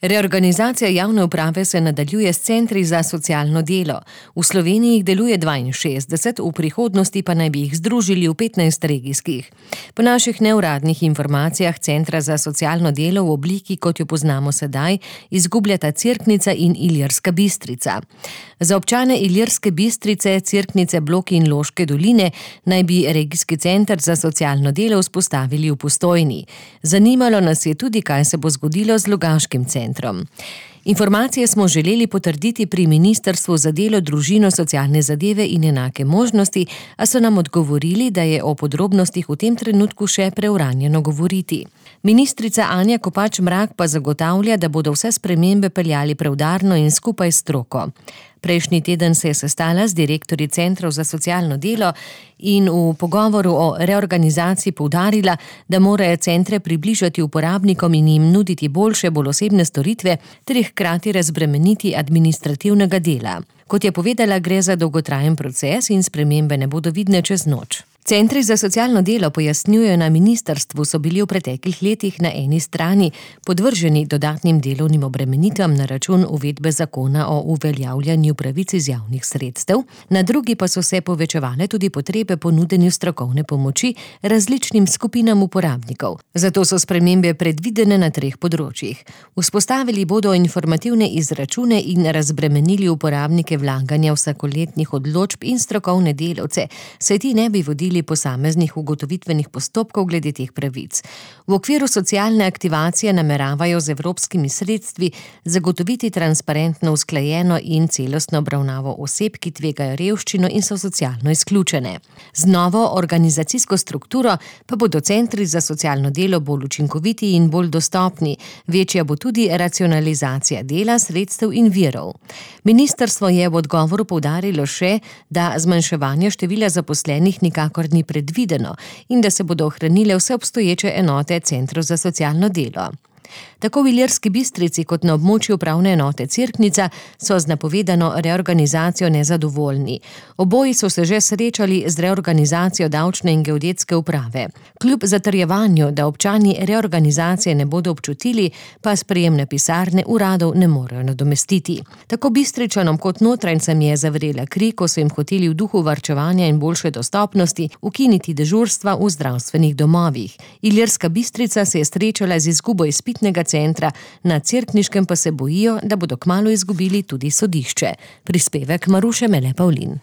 Reorganizacija javne uprave se nadaljuje s centri za socialno delo. V Sloveniji jih deluje 62, v prihodnosti pa naj bi jih združili v 15 regijskih. Po naših neuradnih informacijah centra za socialno delo v obliki, kot jo poznamo sedaj, izgubljata Cerknica in Ilirska Bistrica. Za občane Ilirske Bistrice, Cerknice, Bloki in Loške doline naj bi regijski center za socialno delo vzpostavili v Postojni. Zanimalo nas je tudi, kaj se bo zgodilo z Logaškim centrom. Informacije smo želeli potrditi pri Ministrstvu za delo, družino, socialne zadeve in enake možnosti, a so nam odgovorili, da je o podrobnostih v tem trenutku še preuranjeno govoriti. Ministrica Anja Kopač Mrak pa zagotavlja, da bodo vse spremembe peljali preudarno in skupaj s stroko. Prejšnji teden se je sestala z direktorji centrov za socialno delo in v pogovoru o reorganizaciji poudarila, da morajo centre približati uporabnikom in jim nuditi boljše, bolj osebne storitve ter jih hkrati razbremeniti administrativnega dela. Kot je povedala, gre za dolgotrajen proces in spremembe ne bodo vidne čez noč. Centri za socialno delo, pojasnjujejo na ministrstvu, so bili v preteklih letih na eni strani podvrženi dodatnim delovnim obremenitvam na račun uvedbe zakona o uveljavljanju pravic iz javnih sredstev, na drugi pa so se povečevale tudi potrebe po nudenju strokovne pomoči različnim skupinam uporabnikov. Zato so spremembe predvidene na 3 področjih. Vzpostavili bodo informativne izračune in razbremenili uporabnike vlaganja vsakoletnih odločb in strokovne delavce, saj ti ne bi vodili posameznih ugotovitvenih postopkov glede teh pravic. V okviru socialne aktivacije nameravajo z evropskimi sredstvi zagotoviti transparentno, usklajeno in celostno obravnavo oseb, ki tvegajo revščino in so socialno izključene. Z novo organizacijsko strukturo pa bodo centri za socialno delo bolj učinkoviti in bolj dostopni. Večja bo tudi racionalizacija dela, sredstev in virov. Ministrstvo je v odgovoru poudarilo še, da zmanjševanje števila zaposlenih nikakor ni predvideno in da se bodo ohranile vse obstoječe enote centrov za socialno delo. Tako v Ilirski Bistrici kot na območju upravne enote Cerknica so z napovedano reorganizacijo nezadovoljni. Oboji so se že srečali z reorganizacijo davčne in geodetske uprave. Kljub zatrjevanju, da občani reorganizacije ne bodo občutili, pa sprejemne pisarne uradov ne morejo nadomestiti. Tako Bistričanom kot notranjcem je zavrela kri, ko so jim hoteli v duhu varčevanja in boljše dostopnosti ukiniti dežurstva v zdravstvenih domovih. Ilirska Bistrica se je srečala z izgubo izpitnega centra, na Cerkniškem pa se bojijo, da bodo kmalu izgubili tudi sodišče. Prispevek Maruše Mele Pavlin.